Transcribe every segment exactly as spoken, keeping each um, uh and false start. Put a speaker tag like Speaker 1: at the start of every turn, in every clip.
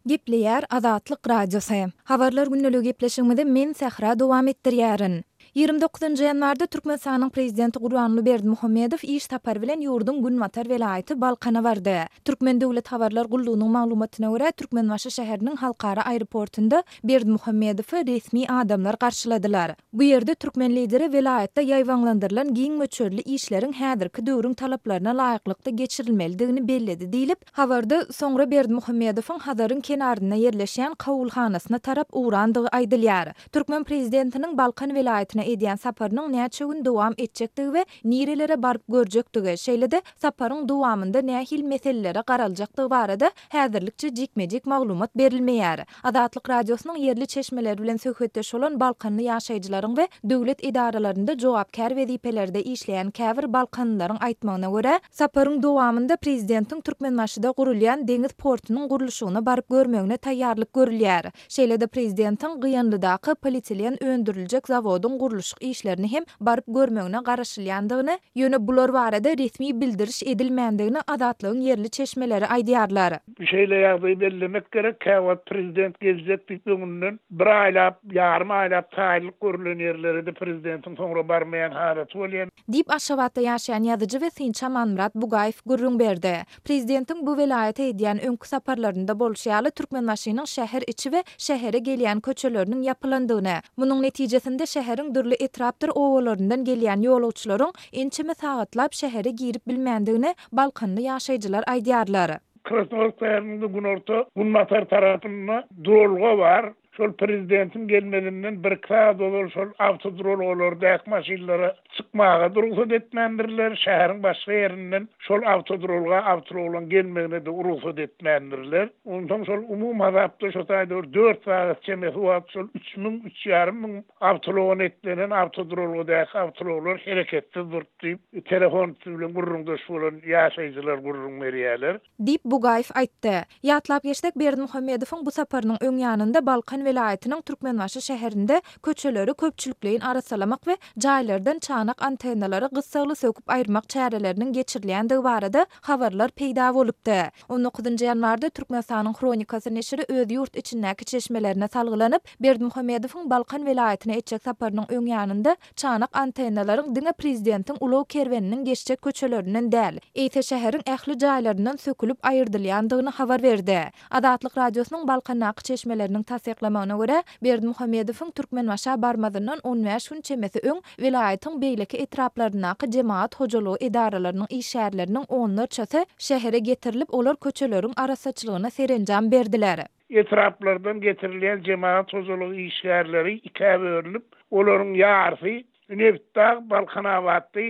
Speaker 1: Gepleýär Azatlyk Radiosy. Habarlar gündeligi gepleşigimizi men Sähra dowam etdirýärin. Ýigrimi dokuzynjy ýanwarda Türkmenistanyň Prezidenti Gurbanguly Berdimuhamedow iş sapary bilen ýurduň günbatar welaýaty Balkana bardy. Türkmen döwlet habarlar gullugynyň maglumatyna görä, Türkmenbaşy şäheriniň halkara aeroportynda Berdimuhamedowy resmi adamlar garşyladylar. Bu ýerde türkmen Lideri welaýatda ýaýbaňlandyrylan giň möçberli işleriň häzirki döwrüň talaplaryna laýyklykda geçirilmelidigini belledi diýlip, habarda soňra Berdimuhamedowyň Hazaryň kenarynda ýerleşýän kabulhanasyna tarap ugrandygy aýdylýar. Türkmen prezidentiniň Balkan welaýatyna edýän saparynyň näçe gün dowam etjekdigi we nirelere baryp görjekdigi, şeýle-de saparyň dowamynda nähili meselelere garaljakdygy barada häzirlikçe jikme-jik maglumat berilmeýär. Azatlyk Radiosynyň ýerli çeşmeleri bilen söhbetdeş bolan balkanly ýaşaýjylaryň we döwlet edaralarynda jogapkär wezipelerde işleýän käbir balkanlylaryň aýtmagyna görä, saparyň dowamynda prezidentiň Türkmenbaşyda gurulýan deňiz portunyň gurluşygyna baryp görmegine taýýarlyk görülýär. Şeýle-de prezidentiň Gyýanlydaky polietilen öndüriljek zawodyň gurluşyk işlerini hem baryp görmegine garaşylýandygyny, ýöne bular barada resmi bildiriş edilmändigini Azatlygyň ýerli çeşmeleri aýdýarlar.
Speaker 2: Şeýle ýagdaýy bellemek gerek, käwagt prezident geljek diýip öňünden bir aýlap, ýarym aýlap taýynlyk görülen ýerlere-de prezidentiň soňra barmaýan halaty bolýar.
Speaker 1: Diýip, Aşgabatda ýaşaýan ýazyjy we synçy Amanmyrat Bugaýew gürrüň berdi. Prezidentiň bu welaýata edýän öňki saparlarynda bolşy ýaly, Türkmenbaşynyň şäher içi we şähere gelýän köçeleriniň ýapylandygyny, munuň netijesinde şäheriň dürli etrapdyr obalaryndan gelýän ýolagçylaryň ençeme sagatlap şähere girip bilmändigini balkanly ýaşaýjylar aýdýarlar.
Speaker 2: Krasnowodsk şäheriniň günorta, günbatar tarapynda duralga bar. Şol prezidentiň gelmezinden bir-iki sagat ozal şol awtoduralgalardaky maşynlara çykmaga rugsat etmändirler. Şäheriň başga ýerinden şol awtoduralga awtoulaglaryň gelmegine-de rugsat etmändirler. Onsoň şol umumy hasapda şo taýda bir dört sagat çemesi wagt şol üç müň, üç ýarym müň awtoulaga eklenen awtoduralgadaky awtoulaglar hereketsiz durup diýip, telefon üsti bilen gürrüňdeş bolan ýaşaýjylar gürrüň berýärler.
Speaker 1: Diýip, Bugaýew aýtdy. Ýatlap geçsek, Berdimuhamedowyň bu saparynyň öň ýanynda Balkan welaýatynyň Türkmenbaşy şäherinde köçeleri köpçülikleýin arassalamak we jaýlardan çanak antennalary gyssagly söküp aýyrmak çäreleriniň geçirilýändigi barada habarlar peýda bolupdy. On dokuzynjy ýanwarda Türkmenistanyň Hronikasy neşiri öz ýurt içindäki çeşmelerine salgylanyp, Berdimuhamedowyň Balkan welaýatyna etjek saparynyň öň ýanynda çanak antennalaryň diňe prezidentiň ulag kerweniniň geçjek köçelerinden däl, eýse şäheriň ähli jaýlaryndan sökülip aýyrdylýandygyny habar berdi. Azatlyk Radiosynyň Balkandaky çeşmeleriniň tassyklamagyna görä, Berdimuhamedowyň Türkmenbaşa barmazyndan on bäş gün çemesi öň welaýatyň beýleki etraplaryndaky jemagat hojalygy edaralarynyň işgärleriniň onlarçasy şähere getirilip, olar köçeleriň arassaçylygyna serenjam berdiler.
Speaker 2: Etraplardan getirilýän jemagat hojalygy işgärleri ikä bölünip, olaryň ýarysy Nebitdag, Balkanabatda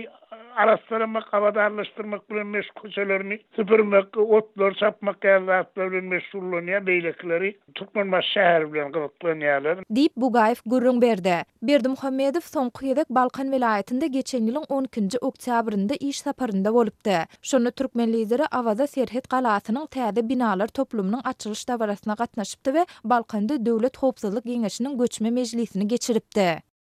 Speaker 2: arassalamak, abadanlaşdyrmak bilen meşgul, köçelerini süpürmek, otlary çapmak ýaly zatlar bilen meşgullanýar, beýlekileri Türkmenbaşy şäheri bilen gyzyklanýarlar.
Speaker 1: Diýip, Bugaýew gürrüň berdi. Berdimuhamedow soňky gezek Balkan welaýatynda geçen ýylyň on ikinji oktýabrynda iş saparynda bolupdy. Şonda türkmen Lideri Awaza serhet galasynyň täze binalar toplumynyň açylyş dabarasyna gatnaşypdy we Balkanda Döwlet howpsuzlyk geňeşiniň göçme mejlisini geçiripdi.